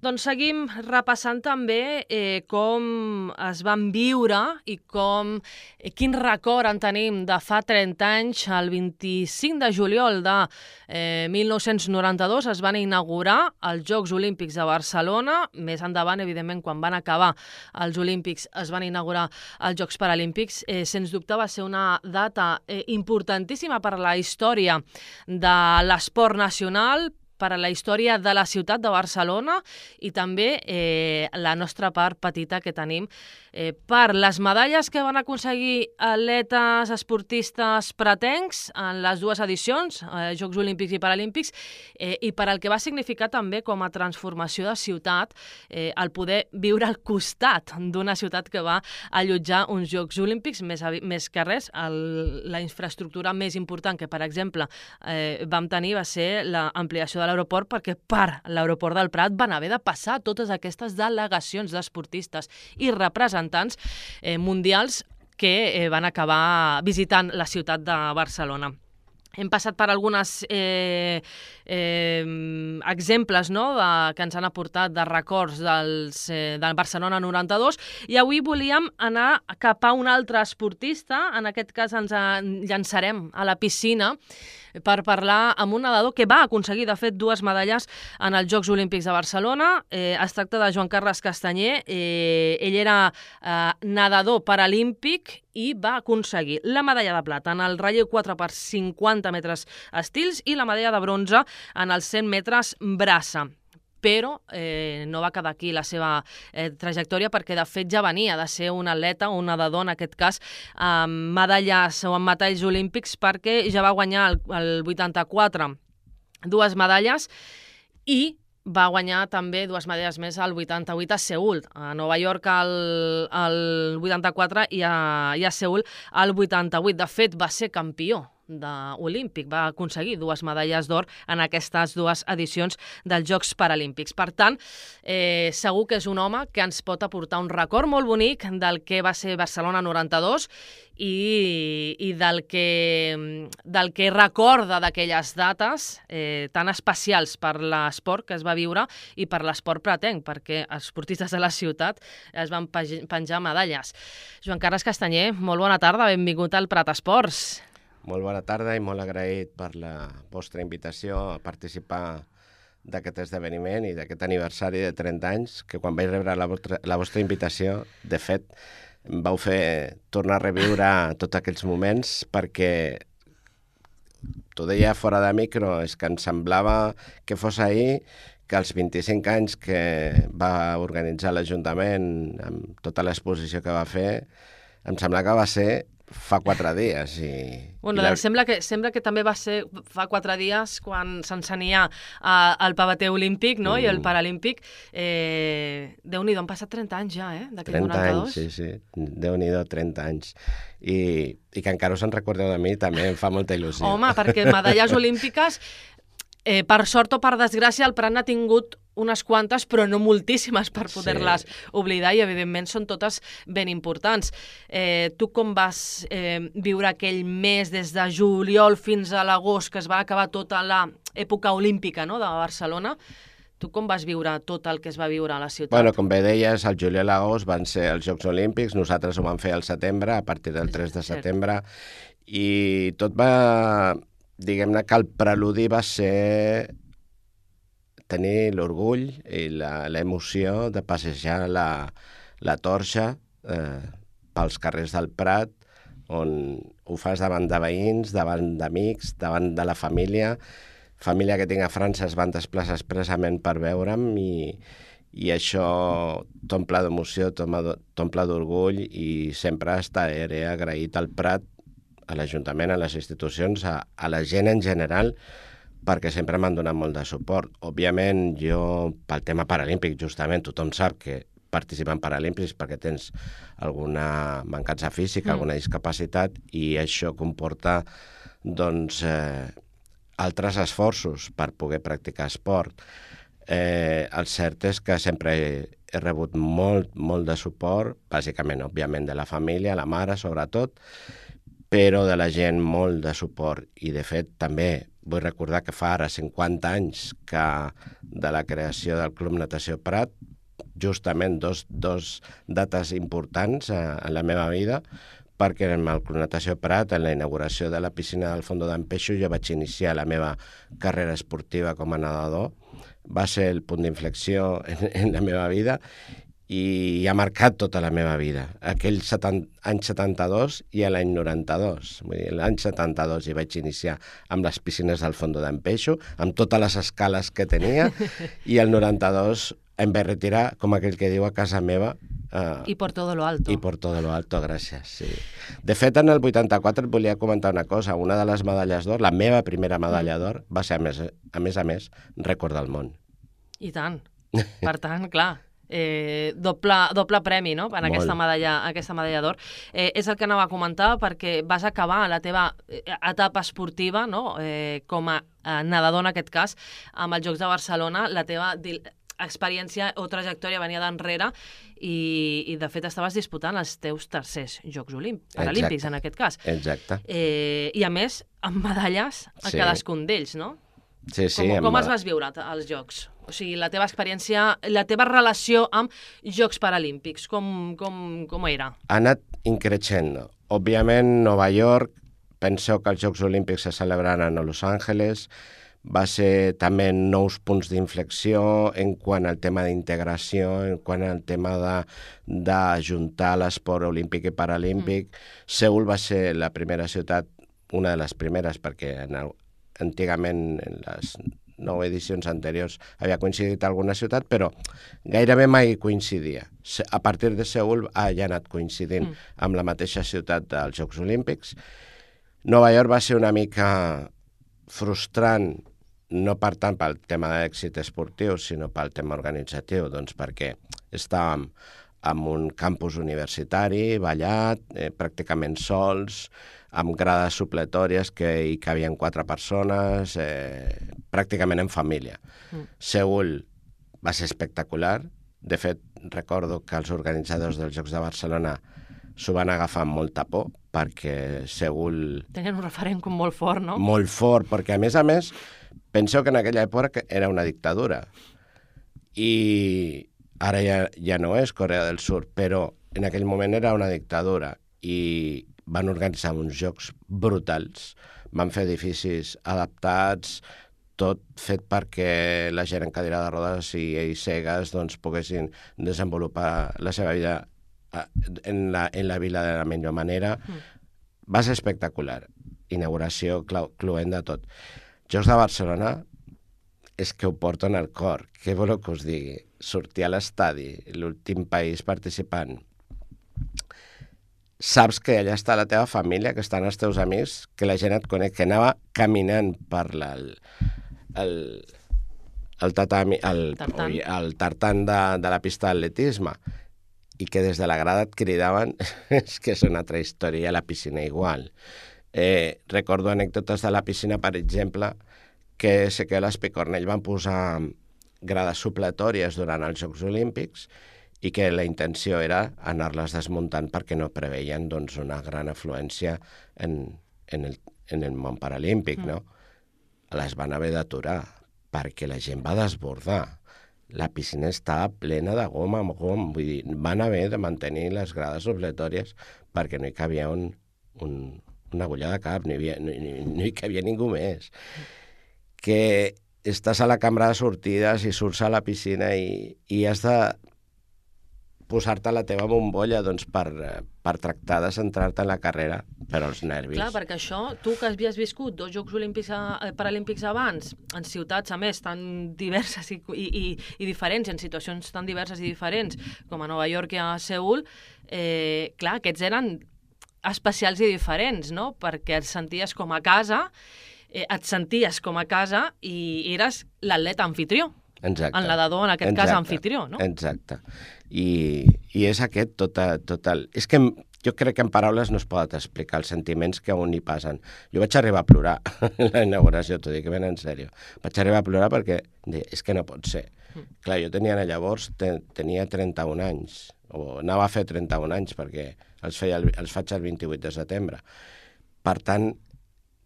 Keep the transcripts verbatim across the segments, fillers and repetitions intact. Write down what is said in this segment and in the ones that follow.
Doncs seguim repassant també eh, com es van viure i com, eh, quin record en tenim de fa trenta anys. El vint-i-cinc de juliol de eh, mil nou-cents noranta-dos es van inaugurar els Jocs Olímpics de Barcelona. Més endavant, evidentment, quan van acabar els Olímpics, es van inaugurar els Jocs Paralímpics. Eh, sens dubte va ser una data eh, importantíssima per a la història de l'esport nacional, per a la història de la ciutat de Barcelona i també eh, la nostra part petita que tenim eh, per les medalles que van aconseguir atletes esportistes pretencs en les dues edicions, eh, Jocs Olímpics i Paralímpics, eh, i per al que va significar també com a transformació de ciutat eh, el poder viure al costat d'una ciutat que va allotjar uns Jocs Olímpics, més, més que res, el, la infraestructura més important que, per exemple, eh, vam tenir va ser l'ampliació de l'aeroport, perquè per l'aeroport del Prat van haver de passar totes aquestes delegacions d'esportistes i representants eh, mundials que eh, van acabar visitant la ciutat de Barcelona. Hem passat per algunes eh, eh, exemples, no?, de, que ens han aportat de records dels, eh, del Barcelona noranta-dos, i avui volíem anar cap a un altre esportista. En aquest cas ens llançarem a la piscina per parlar amb un nedador que va aconseguir, de fet, dues medalles en els Jocs Olímpics de Barcelona. Eh, es tracta de Joan Carles Castanyer. Eh, ell era eh, nedador paralímpic i va aconseguir la medalla de plata en el relleu quatre per cinquanta metres estils i la medalla de bronze en els cent metres braça. Però eh, no va quedar aquí la seva eh, trajectòria, perquè de fet ja venia de ser un atleta, un nedador en aquest cas, amb medalles o amb metalls olímpics, perquè ja va guanyar el, el vuitanta-quatre dues medalles i va guanyar també dues medalles més al vuitanta-vuit a Seül, a Nova York al, al vuitanta-quatre i a, i a Seül al vuitanta-vuit. De fet, va ser campió olímpic, va aconseguir dues medalles d'or en aquestes dues edicions dels Jocs Paralímpics. Per tant, eh, segur que és un home que ens pot aportar un record molt bonic del que va ser Barcelona noranta-dos i, i del, que, del que recorda d'aquelles dates eh, tan especials per l'esport que es va viure i per l'esport pretenc, perquè els esportistes de la ciutat es van penjar medalles. Joan Carles Castanyer, molt bona tarda, benvingut al Prat Esports. Molt bona tarda i molt agraït per la vostra invitació a participar d'aquest esdeveniment i d'aquest aniversari de trenta anys, que quan vaig rebre la vostra, la vostra invitació, de fet, em vau fer tornar a reviure tots aquells moments, perquè t'ho deia fora de micro, és que em semblava que fos ahir que els vint-i-cinc anys que va organitzar l'Ajuntament amb tota l'exposició que va fer, em sembla que va ser fa quatre dies. I, bueno, i la... sembla, que, sembla que també va ser fa quatre dies quan s'encenia uh, el pavete olímpic, no? Mm. I el paralímpic. Eh, Déu-n'hi-do, han passat trenta anys ja, eh? trenta anys, sí, sí. Déu-n'hi-do, trenta anys. I, I que encara us en recordeu de mi també em fa molta il·lusió. Home, perquè medalles olímpiques, eh, per sort o per desgràcia, el Prat n'ha tingut unes quantes, però no moltíssimes per poder-les sí. oblidar, i evidentment són totes ben importants. Eh, tu com vas eh, viure aquell mes des de juliol fins a l'agost, que es va acabar tota l'època olímpica, no?, de Barcelona? Tu com vas viure tot el que es va viure a la ciutat? Bueno, com bé deies, el juliol i l'agost van ser els Jocs Olímpics, nosaltres ho vam fer al setembre, a partir del tres de setembre, i tot va... Diguem-ne que el preludi va ser tenir l'orgull i l'emoció de passejar la, la torxa eh, pels carrers del Prat, on ho fas davant de veïns, davant d'amics, davant de la família. Família que tinc a França es van desplaçar expressament per veure'm i, i això t'omple d'emoció, t'omple d'orgull, i sempre estaré agraït al Prat, a l'Ajuntament, a les institucions, a, a la gent en general, perquè sempre m'han donat molt de suport. Òbviament, jo, pel tema paralímpic, justament, tothom sap que participar en paralímpics perquè tens alguna mancança física, mm. alguna discapacitat, i això comporta, doncs, eh, altres esforços per poder practicar esport. Eh, el cert és que sempre he, he rebut molt, molt de suport, bàsicament, òbviament, de la família, la mare, sobretot, però de la gent molt de suport, i de fet també vull recordar que fa ara cinquanta anys que de la creació del Club Natació Prat, justament dos, dos dates importants eh, en la meva vida, perquè en el Club Natació Prat, en la inauguració de la piscina del Fondo d'en Peixo, jo vaig iniciar la meva carrera esportiva com a nedador. Va ser el punt d'inflexió en, en la meva vida i ha marcat tota la meva vida. Aquell setanta, any setanta-dos i l'any noranta-dos. Vull dir, l'any setanta-dos hi vaig iniciar amb les piscines del Fondo d'en Peixo, amb totes les escales que tenia, i el noranta-dos em vaig retirar, com aquell que diu, a casa meva. Uh, I por todo lo alto. I por todo lo alto, gràcies, sí. De fet, en el vuitanta-quatre et volia comentar una cosa. Una de les medalles d'or, la meva primera medalla d'or, va ser, a més a més, a més rècord del món. I tant. Per tant, clar, eh, doble, doble premi, no?, en aquesta medalla, aquesta medalla d'or. Eh, és el que anava a comentar, perquè vas acabar la teva etapa esportiva, no?, eh, com a nedador en aquest cas, amb els Jocs de Barcelona. La teva experiència o trajectòria venia d'enrere i, i, de fet, estaves disputant els teus tercers Jocs Olímpics, Paralímpics, en aquest cas. Exacte. Eh, I, a més, amb medalles a sí. cadascun d'ells, no? Sí, sí. Com, com els vas viure, els Jocs? O sigui, la teva experiència, la teva relació amb Jocs Paralímpics, com, com, com era? Ha anat increixendo. Òbviament, Nova York, penseu que els Jocs Olímpics se celebraran a Los Angeles, va ser també nous punts d'inflexió en quant al tema d'integració, en quant al tema d'ajuntar l'esport olímpic i paralímpic. Mm. Seül va ser la primera ciutat, una de les primeres, perquè en el, antigament en les nou edicions anteriors havia coincidit alguna ciutat, però gairebé mai coincidia. A partir de Seül ha ja anat coincidint mm. amb la mateixa ciutat dels Jocs Olímpics. Nova York va ser una mica frustrant, no per tant pel tema d'èxit esportiu, sinó pel tema organitzatiu, doncs perquè estàvem en un campus universitari, ballat, eh, pràcticament sols, amb grades supletòries que hi cabien quatre persones, eh, pràcticament en família. Mm. Seül va ser espectacular. De fet, recordo que els organitzadors dels Jocs de Barcelona s'ho van agafar amb molta por, perquè Seül... Tenien un referent com molt fort, no? Molt fort, perquè a més a més, penseu que en aquella època era una dictadura. I ara ja, ja no és Corea del Sur, però en aquell moment era una dictadura i van organitzar uns jocs brutals, van fer edificis adaptats, tot fet perquè la gent en cadira de rodes i ells cegues doncs, poguessin desenvolupar la seva vida en la, en la vila de la millor manera. Mm. Va ser espectacular. Inauguració cluent de tot. Jocs de Barcelona és que ho porto en el cor. Què voleu que us digui? Sortir a l'estadi, l'últim país participant. Saps que allà està la teva família, que estan els teus amics, que la gent et coneix, que anava caminant per la, el, el, el, tatami, el, tartan, oi, el tartan de, de la pista d'atletisme, i que des de la grada et cridaven, és que és una altra història, a la piscina igual. Eh, recordo anècdotes de la piscina, per exemple, que Ezequiel Espicornell van posar grades supletòries durant els Jocs Olímpics i que la intenció era anar-les desmuntant perquè no preveien doncs, una gran afluència en, en, el, en el món paralímpic, mm. no? Les van haver d'aturar perquè la gent va desbordar. La piscina estava plena de gom amb gom, vull dir, van haver de mantenir les grades supletòries perquè no hi cabia un, un, una agulla de cap, no hi, havia, no, no, no hi cabia ningú més. Que estàs a la cambra de sortides i surts a la piscina i, i has de posar-te la teva bombolla doncs, per, per tractar de centrar-te en la carrera, per als nervis. Clar, perquè això, tu que havies viscut dos Jocs Olímpics a, Paralímpics abans, en ciutats, a més, tan diverses i, i, i diferents, en situacions tan diverses i diferents, com a Nova York i a Seül, eh, clar, aquests eren especials i diferents, no? Perquè et senties com a casa, eh, et senties com a casa i eres l'atleta anfitrió. Exacte. El nedador, en aquest Exacte. cas, anfitrió, no? Exacte. I, i és aquest total, total... És que jo crec que en paraules no es poden explicar els sentiments que a un hi passen. Jo vaig arribar a plorar en la inauguració, t'ho dic ben en sèrio. Vaig arribar a plorar perquè és que no pot ser. Mm. Clar, jo tenia llavors, ten, tenia trenta-un anys, o anava a fer trenta-un anys perquè els, feia el, els faig el vint-i-vuit de setembre. Per tant,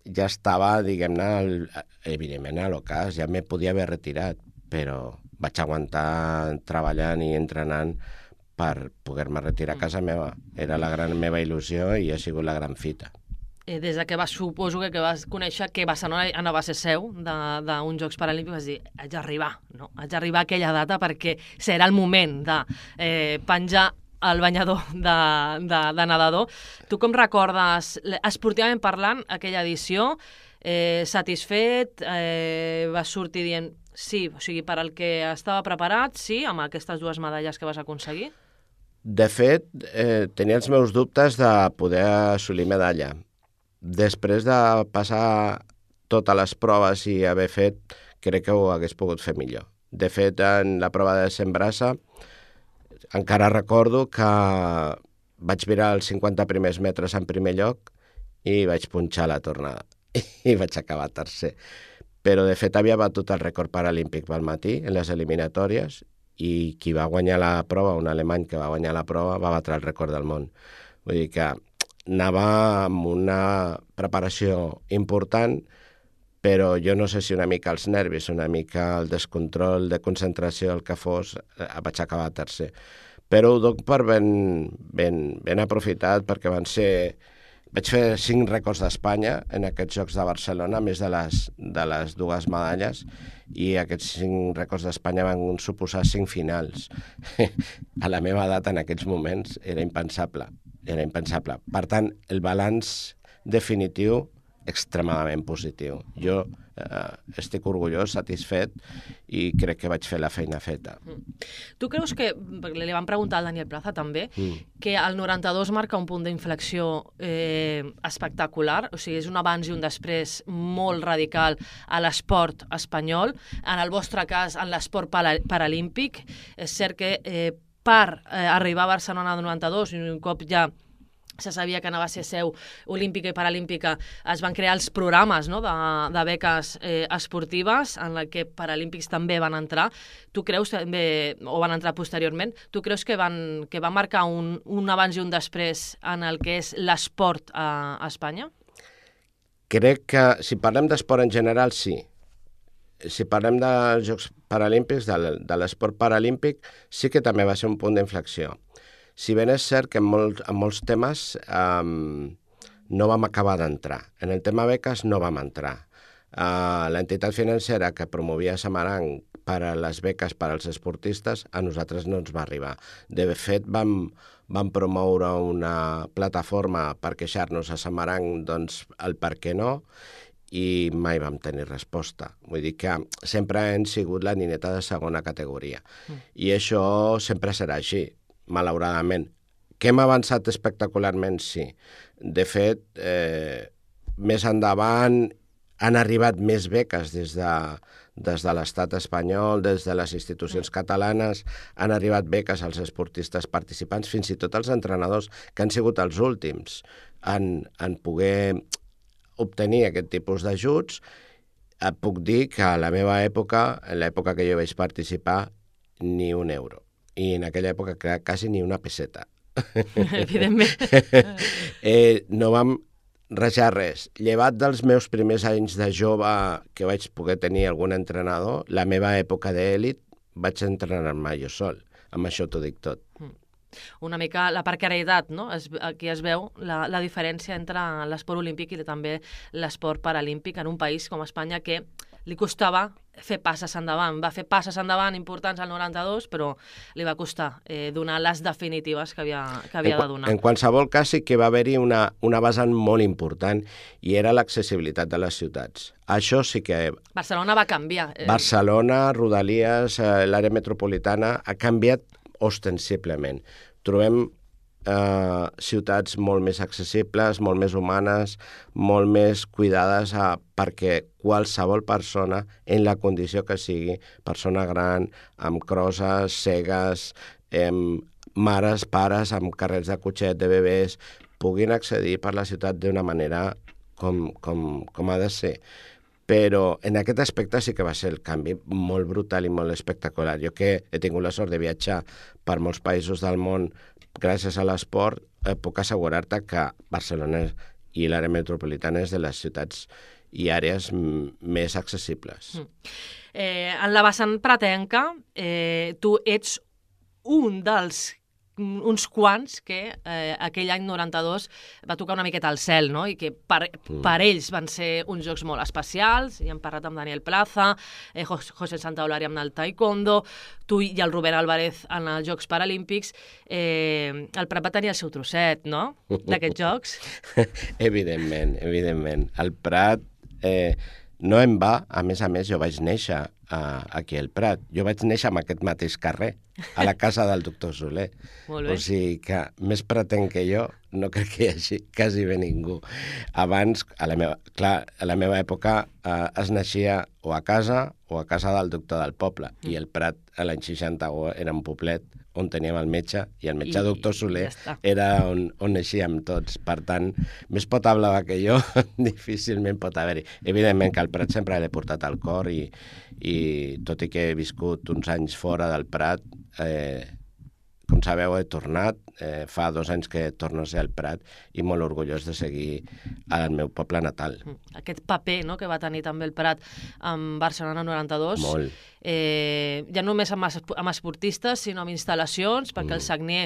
ja estava, diguem-ne, evidentment a l'ocàs, ja me podia haver retirat, però vaig aguantar treballant i entrenant per poder-me retirar a casa meva. Era la gran meva il·lusió i ha sigut la gran fita. Eh, des de que vas, suposo que, que vas conèixer que Barcelona anava a ser seu d'uns Jocs Paralímpics, vas dir, haig d'arribar, no? Haig d'arribar a aquella data perquè serà el moment de eh, penjar el banyador de, de, de nedador. Tu com recordes, esportivament parlant, aquella edició? Eh, satisfet? Eh, vas sortir dient sí, o sigui, per al que estava preparat, sí, amb aquestes dues medalles que vas aconseguir? De fet, eh, tenia els meus dubtes de poder assolir medalla. Després de passar totes les proves i haver fet, crec que ho hagués pogut fer millor. De fet, en la prova de cent braça, encara recordo que vaig virar els cinquanta primers metres en primer lloc i vaig punxar la tornada i vaig acabar tercer. Però, de fet, havia batut el rècord paralímpic pel matí en les eliminatòries i qui va guanyar la prova, un alemany que va guanyar la prova, va batre el rècord del món. Vull dir que anava amb una preparació important, però jo no sé si una mica els nervis, una mica el descontrol de concentració, el que fos, vaig acabar tercer. Però ho doc per ben, ben, ben aprofitat, perquè van ser... Vaig fer cinc rècords d'Espanya en aquests Jocs de Barcelona, més de les, de les dues medalles, i aquests cinc rècords d'Espanya van suposar cinc finals. A la meva edat, en aquests moments, era impensable. Era impensable. Per tant, el balanç definitiu extremadament positiu. Jo eh, estic orgullós, satisfet, i crec que vaig fer la feina feta. Tu creus que, li vam preguntar al Daniel Plaza també, mm. que el noranta-dos marca un punt d'inflexió eh, espectacular, o sigui, és un abans i un després molt radical a l'esport espanyol, en el vostre cas, en l'esport paralímpic. És cert que eh, per eh, arribar a Barcelona del noranta-dos, i un cop ja se sabia que anava a ser seu olímpica i paralímpica, es van crear els programes, no?, de, de beques eh, esportives, en la que paralímpics també van entrar. Tu creus, també, o van entrar posteriorment, tu creus que van, que va marcar un, un abans i un després en el que és l'esport a, a Espanya? Crec que, si parlem d'esport en general, sí. Si parlem dels Jocs Paralímpics, de, de l'esport paralímpic, sí que també va ser un punt d'inflexió. Si ben és cert que en, molt, en molts temes um, no vam acabar d'entrar. En el tema beques no vam entrar. Uh, l'entitat financera que promovia Samaranc per a les beques per als esportistes a nosaltres no ens va arribar. De fet, vam, vam promoure una plataforma per queixar-nos a Samaranc, doncs, el per què no, i mai vam tenir resposta. Vull dir que sempre hem sigut la nineta de segona categoria. Mm. I això sempre serà així, malauradament. Que hem avançat espectacularment? Sí. De fet, eh, més endavant han arribat més beques des de, des de l'estat espanyol, des de les institucions catalanes, han arribat beques als esportistes participants, fins i tot als entrenadors, que han sigut els últims en, en poder obtenir aquest tipus d'ajuts. Et puc dir que a la meva època, en l'època que jo vaig participar, ni un euro. I en aquella època quasi ni una peseta. Evidentment. eh, no vam rajar res. Llevat dels meus primers anys de jove que vaig poder tenir algun entrenador, la meva època d'èlit vaig entrenar-me jo sol. Amb això t'ho dic tot. Una mica la precarietat, no? Es, aquí es veu la, la diferència entre l'esport olímpic i també l'esport paralímpic en un país com Espanya, que li costava fer passes endavant. Va fer passes endavant importants al noranta-dos, però li va costar eh, donar les definitives que havia, que havia en, de donar. En qualsevol cas sí que va haver-hi una, una vessant molt important, i era l'accessibilitat de les ciutats. Això sí que... Barcelona va canviar. Eh... Barcelona, Rodalies, eh, l'àrea metropolitana, ha canviat ostensiblement. Trobem eh, ciutats molt més accessibles, molt més humanes, molt més cuidades a, perquè qualsevol persona, en la condició que sigui, persona gran, amb crosses, cegues, amb mares, pares, amb carrets de cotxet, de bebès, puguin accedir per la ciutat d'una manera com, com, com ha de ser. Però en aquest aspecte sí que va ser el canvi molt brutal i molt espectacular. Jo que he tingut la sort de viatjar per molts països del món gràcies a l'esport, eh, puc assegurar-te que Barcelona i l'àrea metropolitana és de les ciutats i àrees més accessibles. Mm. Eh, en la vessant pratenca, eh, tu ets un dels uns quants que eh, aquell any noranta-dos va tocar una miqueta al cel, no? I que per, mm. per ells van ser uns jocs molt especials. Ja hem parlat amb Daniel Plaza, eh, José Santaolari amb el taekwondo, tu i el Rubén Álvarez en els Jocs Paralímpics. Eh, el Prat va tenir el seu trosset, no?, d'aquests jocs. Evidentment, evidentment. El Prat eh, no em va, a més a més, jo vaig néixer Uh, aquí al Prat. Jo vaig néixer en aquest mateix carrer, a la casa del doctor Soler. Molt bé. O sigui que més pratenc que jo no crec que hi hagi quasi bé ningú. Abans, a la meva, clar, a la meva època uh, es naixia o a casa o a casa del doctor del poble. Mm. I el Prat, a l'any seixanta, era un poblet on teníem el metge, i el metge I, doctor Soler ja era on, on naixíem tots. Per tant, més pot hablar que jo, difícilment pot haver-hi. Evidentment que el Prat sempre l'he portat al cor i, i tot i que he viscut uns anys fora del Prat, eh, com sabeu, he tornat, eh, fa dos anys que torno a ser al Prat i molt orgullós de seguir al meu poble natal. Aquest paper, no?, que va tenir també el Prat en Barcelona noranta-dos, molt. Eh, ja només amb, amb esportistes, sinó amb instal·lacions, perquè mm. el Sagnier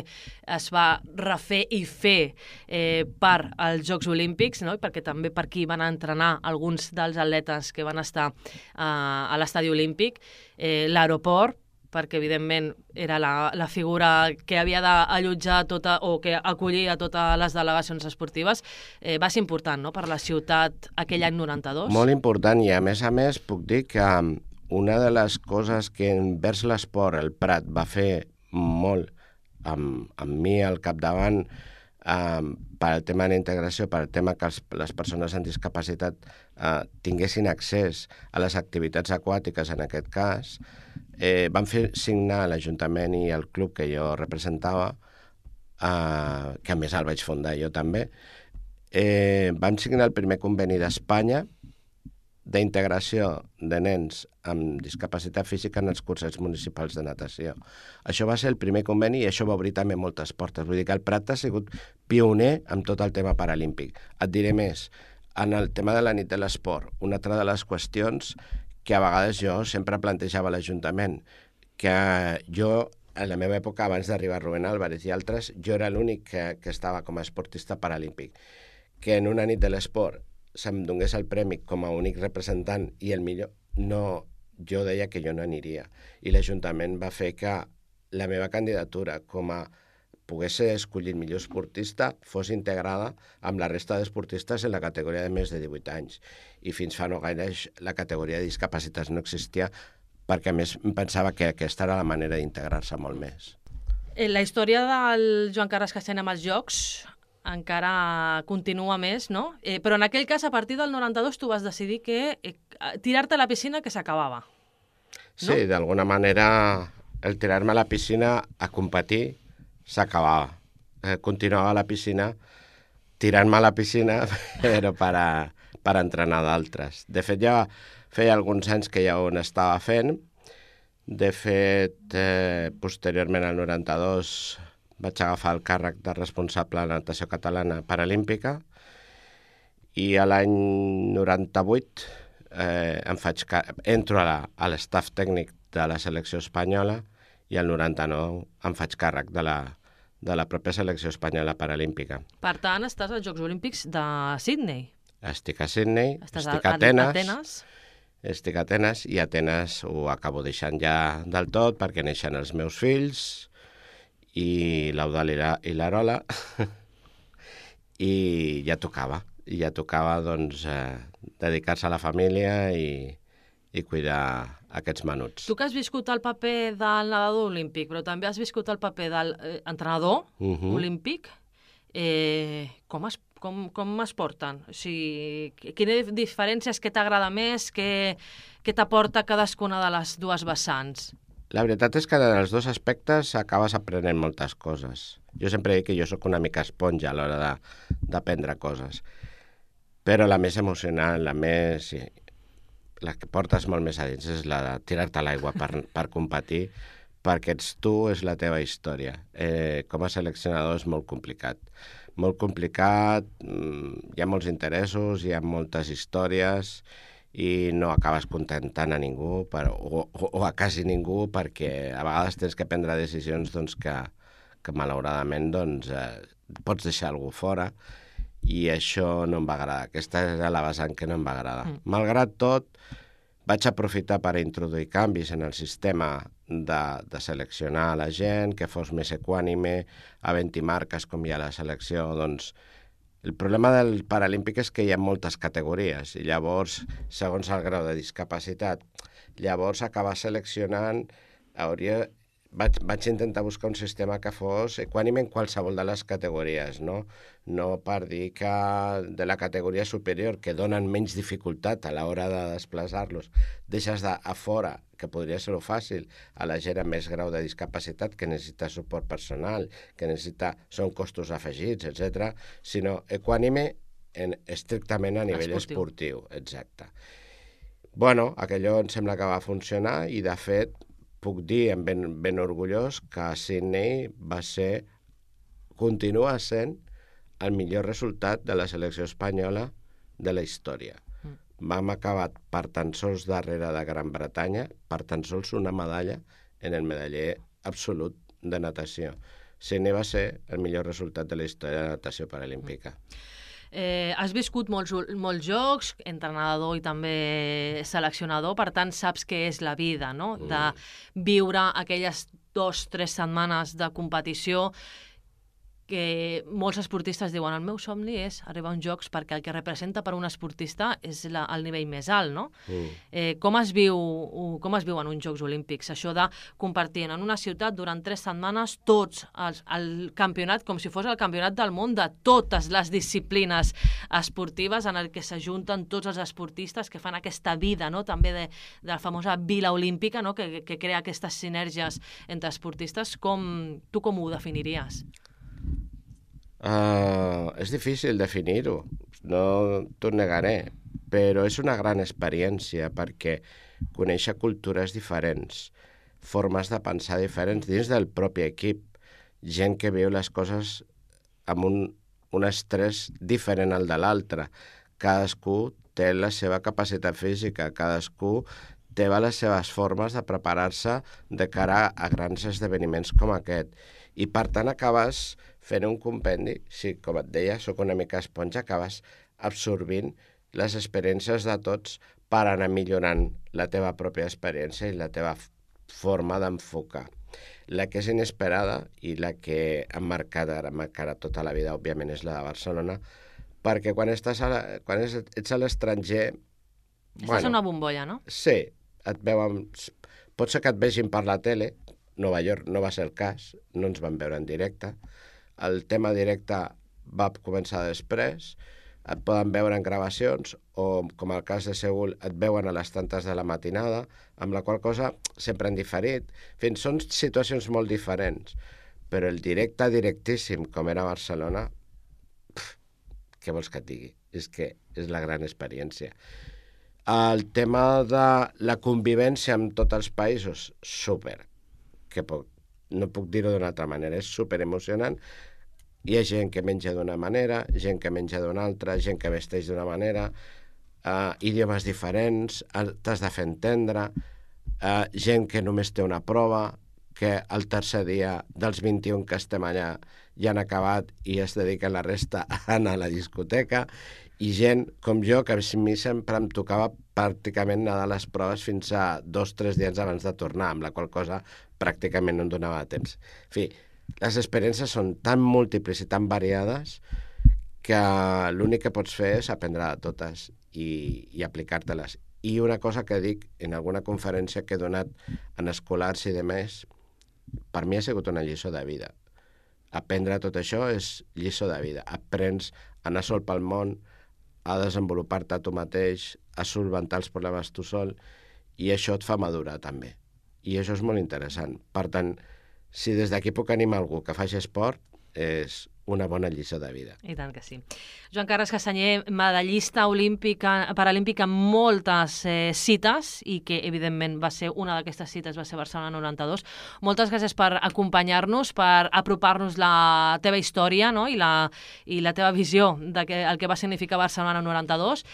es va refer i fer eh, per als Jocs Olímpics, no?, perquè també per aquí van entrenar alguns dels atletes que van estar eh, a l'estadi olímpic, eh, l'aeroport, perquè evidentment era la, la figura que havia d'allotjar tota, o que acollia totes les delegacions esportives, eh, va ser important, no?, per la ciutat aquell any noranta-dos. Molt important, i a més a més puc dir que una de les coses que envers l'esport el Prat va fer molt amb, amb mi al capdavant, Um, per al tema d'integració, per al tema que els, les persones amb discapacitat uh, tinguessin accés a les activitats aquàtiques, en aquest cas, eh, van fer signar l'Ajuntament i el club que jo representava, uh, que a més el vaig fundar jo també, eh, vam signar el primer conveni d'Espanya d'integració de nens amb discapacitat física en els cursos municipals de natació. Això va ser el primer conveni i això va obrir també moltes portes. Vull dir que el Prat ha sigut pioner amb tot el tema paralímpic. Et diré més, en el tema de la nit de l'esport, una altra de les qüestions que a vegades jo sempre plantejava a l'Ajuntament, que jo, en la meva època, abans d'arribar Rubén Álvarez i altres, jo era l'únic que, que estava com a esportista paralímpic, que en una nit de l'esport se'm donés el premi com a únic representant i el millor, no, jo deia que jo no aniria. I l'Ajuntament va fer que la meva candidatura com a pogués ser escollit millor esportista fos integrada amb la resta d'esportistes en la categoria de més de divuit anys. I fins fa no gaire la categoria de discapacitats no existia, perquè a més em pensava que aquesta era la manera d'integrar-se molt més. La història del Joan Carles Castany amb els Jocs encara continua més, no? Eh, però en aquell cas, a partir del noranta-dos, tu vas decidir que eh, tirar-te a la piscina que s'acabava. No? Sí, d'alguna manera el tirar-me a la piscina a competir s'acabava. Eh, continuava a la piscina, tirant-me a la piscina, però per, a, per entrenar d'altres. De fet, ja feia alguns anys que ja ho estava fent. De fet, eh, posteriorment al noranta-dos vaig agafar el càrrec de responsable de la natació catalana paralímpica i a l'any noranta-vuit eh, em faig entro a l'estaf tècnic de la selecció espanyola i al noranta-nou em faig càrrec de la, de la pròpia selecció espanyola paralímpica. Per tant, estàs als Jocs Olímpics de Sydney. Estic a Sydney, estàs estic a, a Atenes, a Atenes. Estic a Atenes i Atenes ho acabo deixant ja del tot perquè neixen els meus fills i l'Eudal i l'Arola, i ja tocava, i ja tocava doncs, eh, dedicar-se a la família i, i cuidar aquests menuts. Tu que has viscut el paper del nedador olímpic, però també has viscut el paper de l'entrenador uh, uh-huh. olímpic, eh, com, es, com, com es porten? O sigui, quines diferències, què t'agrada més, què, què t'aporta cadascuna de les dues vessants? La veritat és que en els dos aspectes acabes aprenent moltes coses. Jo sempre dic que jo sóc una mica esponja a l'hora d'aprendre coses. Però la més emocionant, la més... Sí, la que portes molt més a dins és la de tirar-te a l'aigua per, per competir, perquè ets tu, és la teva història. Eh, com a seleccionador és molt complicat. molt complicat, hi ha molts interessos, hi ha moltes històries i no acabes contentant a ningú per, o, o, o a quasi ningú, perquè a vegades tens que prendre decisions doncs, que, que malauradament doncs, eh, pots deixar algú fora, i això no em va agradar. Aquesta era la vessant que no em va agradar. Mm. Malgrat tot, vaig aprofitar per introduir canvis en el sistema de, de seleccionar la gent, que fos més equànime, havent-hi marques com hi ha la selecció. Doncs, el problema del Paralímpic és que hi ha moltes categories i llavors, segons el grau de discapacitat, llavors acabar seleccionant hauria... Vaig, vaig intentar buscar un sistema que fos equànime en qualsevol de les categories, no? No per dir que de la categoria superior, que donen menys dificultat a l'hora de desplaçar-los, deixes de, a fora, que podria ser-ho fàcil, a la gent amb més grau de discapacitat, que necessita suport personal, que necessita, són costos afegits, etcètera, sinó equànime en, estrictament a nivell esportiu. esportiu. Exacte. Bueno, aquello em sembla que va funcionar i, de fet, puc dir ben, ben orgullós que Sydney va ser, continua sent, el millor resultat de la selecció espanyola de la història. Mm. Vam acabar per tan sols darrere de Gran Bretanya, per tan sols una medalla en el medaller absolut de natació. Sydney va ser el millor resultat de la història de la natació paralímpica. Mm. Eh, has viscut molts, molts jocs, entrenador i també seleccionador, per tant saps què és la vida, no? De viure aquelles dues o tres setmanes de competició que molts esportistes diuen el meu somni és arribar a uns jocs perquè el que representa per un esportista és la, el nivell més alt, no? Mm. Eh, com, es viu, com es viu en uns Jocs Olímpics? Això de compartir en una ciutat durant tres setmanes tots els, el campionat, com si fos el campionat del món de totes les disciplines esportives en el que s'ajunten tots els esportistes que fan aquesta vida, no? També de, de la famosa Vila Olímpica, no? que, que crea aquestes sinergies entre esportistes. Com, tu com ho definiries? Uh, és difícil definir-ho, no t'ho negaré, però és una gran experiència perquè conèixer cultures diferents, formes de pensar diferents dins del propi equip, gent que viu les coses amb un, un estrès diferent al de l'altre. Cadascú té la seva capacitat física, cadascú té les seves formes de preparar-se de cara a grans esdeveniments com aquest. I per tant acabes fent un compendi, sí, com et deia, sóc una mica esponja, acabes absorbint les experiències de tots per anar millorant la teva pròpia experiència i la teva forma d'enfocar. La que és inesperada i la que em marcarà, marcarà tota la vida, òbviament, és la de Barcelona, perquè quan, estàs a la, quan ets a l'estranger... Estàs bueno, en una bombolla, no? Sí, et veuen, pot ser que et vegin per la tele. Nova York no va ser el cas, no ens van veure en directe. El tema directe va començar després, et poden veure en gravacions o, com el cas de Seül, et veuen a les tantes de la matinada, amb la qual cosa sempre han diferit. Fins són situacions molt diferents, però el directe directíssim, com era Barcelona, pf, què vols que et digui? És que és la gran experiència. El tema de la convivència amb tots els països, súper, que puc, no puc dir-ho d'una altra manera, és superemocionant. Hi ha gent que menja d'una manera, gent que menja d'una altra, gent que vesteix d'una manera, uh, idiomes diferents, t'has de fer entendre, uh, gent que només té una prova, que el tercer dia dels vint-i-un que estem allà ja han acabat i es dediquen la resta a anar a la discoteca, i gent com jo, que a mi sempre em tocava pràcticament anar a les proves fins a dos o tres dies abans de tornar, amb la qual cosa pràcticament no em donava temps. En fi, les experiències són tan múltiples i tan variades que l'únic que pots fer és aprendre de totes i, i aplicar-te-les. I una cosa que dic en alguna conferència que he donat en escolars i demés, per mi ha sigut una lliçó de vida. Aprendre tot això és lliçó de vida. Aprens a anar sol pel món, a desenvolupar-te tu mateix, a solventar els problemes tu sol, i això et fa madurar també. I això és molt interessant. Per tant, si des d'aquí puc animar algú que faci esport, és una bona lliçó de vida. I tant que sí. Joan Carles Castanyer, medallista olímpica, paralímpic en moltes eh, cites i que, evidentment, va ser una d'aquestes cites, va ser Barcelona noranta-dos. Moltes gràcies per acompanyar-nos, per apropar-nos la teva història, no? I, la, i la teva visió del que, el que va significar Barcelona noranta-dos.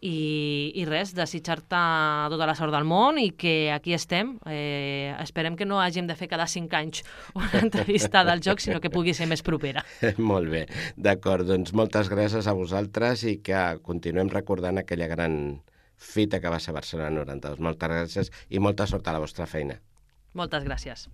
I, i res, desitjar-te tota la sort del món i que aquí estem. Eh, esperem que no hàgim de fer cada cinc anys una entrevista del joc, sinó que pugui ser més propera. Molt bé, d'acord. Doncs moltes gràcies a vosaltres i que continuem recordant aquella gran fita que va ser Barcelona noranta-dos. Moltes gràcies i molta sort a la vostra feina. Moltes gràcies.